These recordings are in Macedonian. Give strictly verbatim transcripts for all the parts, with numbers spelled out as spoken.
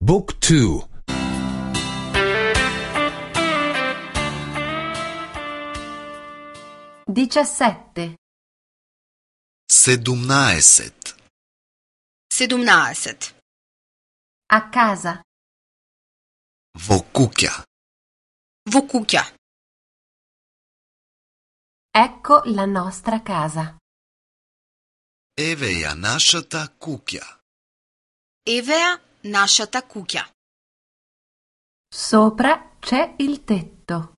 Book two. diciassette. Sedumnaesет. Sedumnaesет. A casa. Во куќа. Во куќа. Ecco la nostra casa. Еве ја нашата куќа. Еве ја нашата куќа. Sopra c'è il tetto.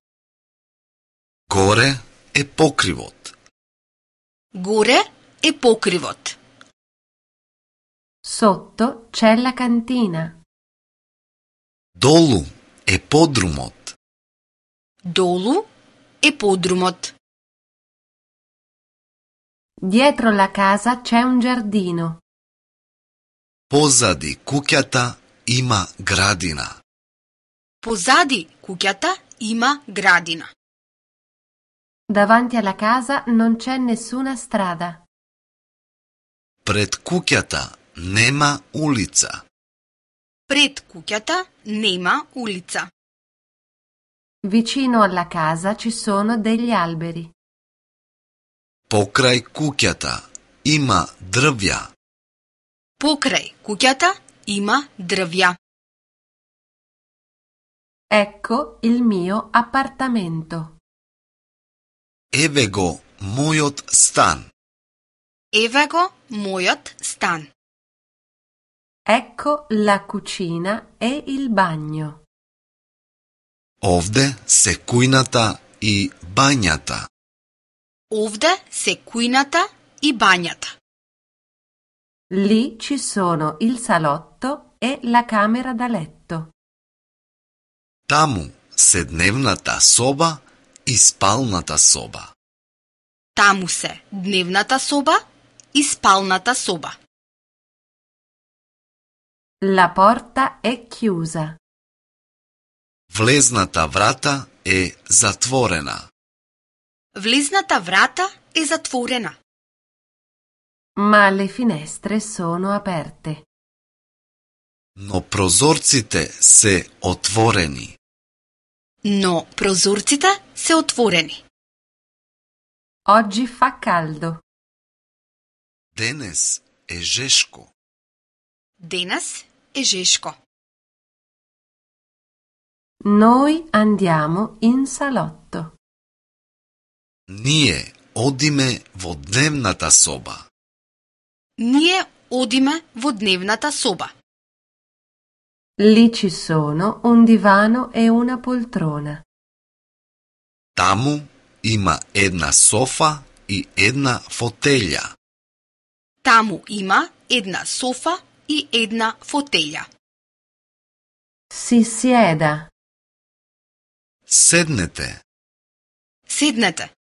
Горе е покривот. Горе е покривот. Sotto c'è la cantina. Долу е подрумот. Долу е подрумот. Dietro la casa c'è un giardino. Позади куќата има градина. Позади куќата има градина. Davanti alla casa non c'è nessuna strada. Пред куќата нема улица. Пред куќата нема улица. Vicino alla casa ci sono degli alberi. Покрај куќата има дрвја. Покрај куќата има дрвја. Ecco il mio appartamento. Еве го мојот стан. Еве го мојот стан. Ecco la cucina e il bagno. Овде се кујната и бањата. Овде се кујната и бањата. Lì ci sono il salotto e la camera da letto. Таму се дневната соба и спалната соба. Таму се дневната соба и спалната соба. La porta è chiusa. Влезната врата е затворена. Влезната врата е затворена. Ma le finestre sono aperte. Но прозорците се отворени. Но прозорците се отворени. Oggi fa caldo. Денес е жешко. Денес е жешко. Noi andiamo in salotto. Ние одиме во дневната соба. Ние одиме во дневната соба. Lì ci sono un divano e una poltrona. Таму има една софа и една фотелја. Таму има една софа и една фотелја. Si sieda. Седнете. Седнете.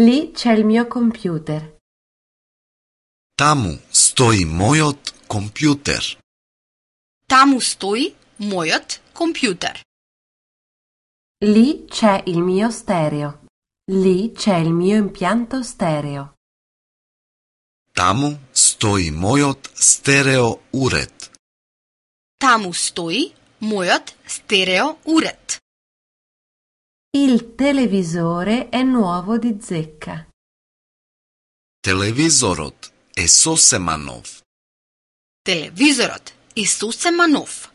Lì c'è il mio computer. Таму стои мојот компјутер. Таму стои мојот компјутер. Lì c'è il mio stereo. Lì c'è il mio impianto stereo. Таму стои мојот стерео уред. Таму стои мојот стерео уред. Il televisore è nuovo di zecca. Телевизорот е сосема нов. Телевизорот е сосема нов.